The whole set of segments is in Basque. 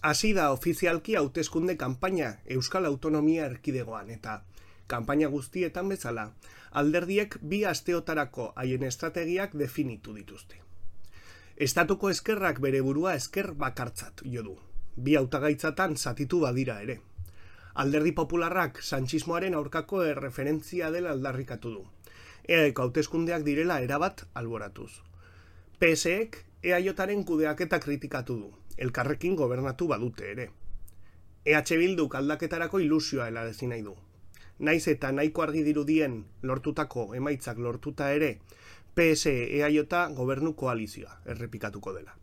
Hasi da ofizialki hauteskunde kanpaina Euskal Autonomia Erkidegoan eta kanpaina guztietan bezala, alderdiek 2 asteotarako haien estrategiak definitu dituzte. Estatuko ezkerrak bere burua ezker bakartzat jo du. 2 hautagaitzatan zatitu badira ere. Alderdi Popularrak sanchismoaren aurkako erreferentzia dela aldarrikatu du. EAeko hauteskundeak direla erabat alboratuz. PSek EAJaren kudeaketa kritikatu du. Elkarrekin gobernatu badute ere. EH Bilduk aldaketarako ilusioa helarazi nahi du. Naiz eta nahiko argi dirudien lortutako emaitzak lortuta ere, PS-EAJ gobernu koalizioa errepikatuko dela.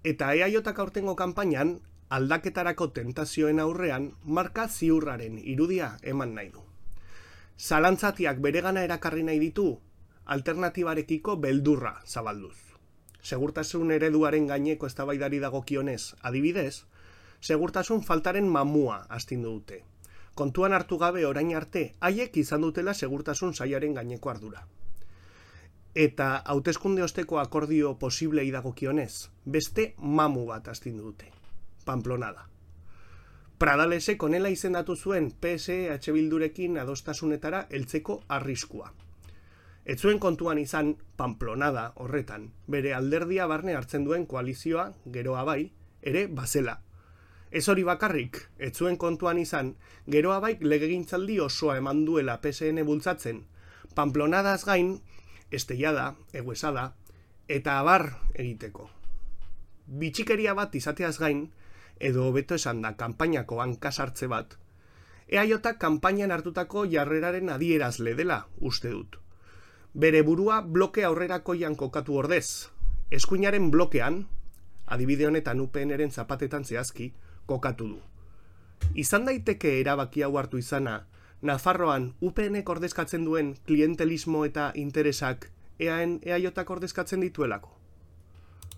Eta EAJak aurtengo kanpainan, aldaketarako tentazioen aurrean, marka ziurraren irudia eman nahi du. Zalantzatiak beregana erakarri nahi ditu, alternatibarekiko beldurra zabalduz. Segurtasun ereduaren gaineko eztabaidari dagokionez, adibidez, segurtasun faltaren mamua astindu dute. Kontuan hartu gabe orain arte, haiek izan dutela segurtasun sailaren gaineko ardura. Eta hauteskunde osteko akordio posiblei dagokionez, beste mamu bat astindu dute. Pamplonada. Pradalesek honela izendatu zuen PS-EH Bildurekin adostasunetara heltzeko arriskua. Ez zuen kontuan izan Pamplonada horretan, bere alderdia barne hartzen duen koalizioa, geroa bai, ere bazela. Ez hori bakarrik, ez zuen kontuan izan, geroa bai legegintzaldi osoa eman duela PSN bultzatzen, Pamplonadaz gain, Esteiada, Eguesada, eta abar egiteko. Bitxikeria bat izateaz gain, edo hobeto esan da kanpainako hankasartze bat, EAJak kanpainan hartutako jarreraren adierazle dela uste dut. Bere burua bloke aurrerakoian kokatu ordez, eskuinaren blokean, adibide honetan UPNren zapatetan zehazki, kokatu du. Izan daiteke erabaki hau hartu izana, Nafarroan UPNek ordezkatzen duen klientelismo eta interesak EAJak ordezkatzen dituelako.